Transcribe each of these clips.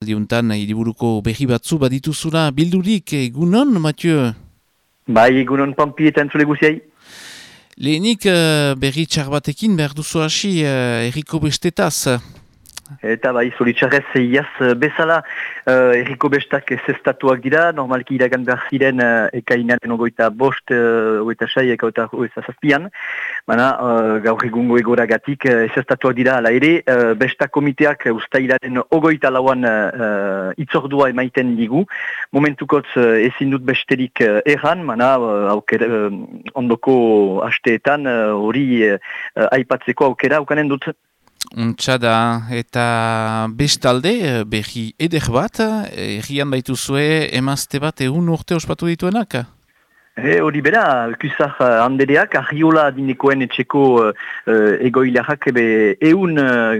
Diuntan, hiriburuko berri batzu badituzula bildurik, egunon, Mathieu? Bai, egunon Pampi eta entzule guziai. Lehenik berri txar batekin behar duzu hasi erriko bestetaz. Eta bai, zoritxarrez iaz bezala erriko bestak zestatuak dira, normalki iragan behar ziren ekainaren ogoita bost, ogoita sai, ogoita zazpian. Baina gaur egungo egoragatik zestatuak dira ala ere, bestak komiteak ustailaren ogoita lauan itzordua emaiten digu. Momentukotz ezin dut besterik erran, baina ondoko hasteetan hori aipatzeko aukera aukanen dut. Untsa da, eta bestalde, berri eder bat, errian baituzue emazte bat egun urte ospatu dituenak? Hori bera, Kusar Andereak, Arriola dinekoen etxeko egoilerak eun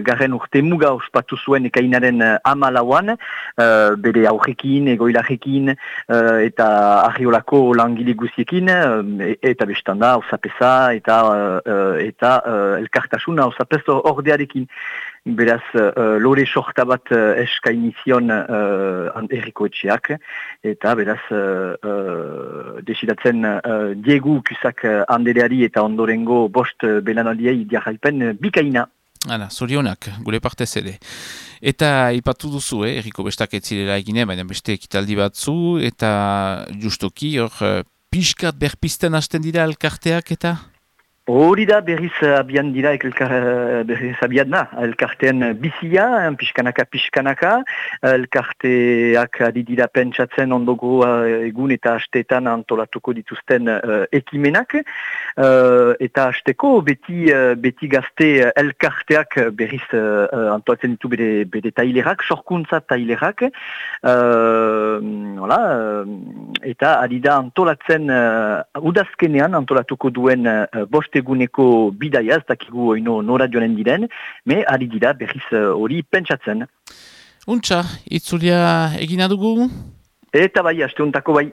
garren urte muga ospatu zuen ekainaren amalauan, bere aurrekin, egoilarekin, eta Arriolako langile guziekin, eta bestanda, osapesa, eta elkartasuna, osapez ordearekin. Beraz, lore sorta bat eskainizion erriko etxeak, eta beraz, desidatzen Diegu Kusak Andereari eta ondorengo bost belanaldiei jarraipen bikaina. Hala, zorionak, gure partez ere. Eta ipatu duzu, erriko bestak etzirela egine, baina beste ekitaldi batzu, eta justoki, hor, pixkat berpisten hasten dira elkarteak eta? Hori da berriz abian dira berriz abian da, elkartean bizia, pixkanaka, elkarteak adidira pentsatzen ondogo egun eta hasteetan antolatuko dituzten ekimenak, eta hasteko beti gazte elkarteak berriz antolatzen ditu bere tailerak, sorkuntza tailerak, eta adida antolatzen udazkenean antolatuko duen bost eguneko bidaia, ez dakigu oino nora joanen diren, me ari dira berriz hori pentsatzen. Untsa, itzulia egina dugu? Eta bai, haste hontako bai.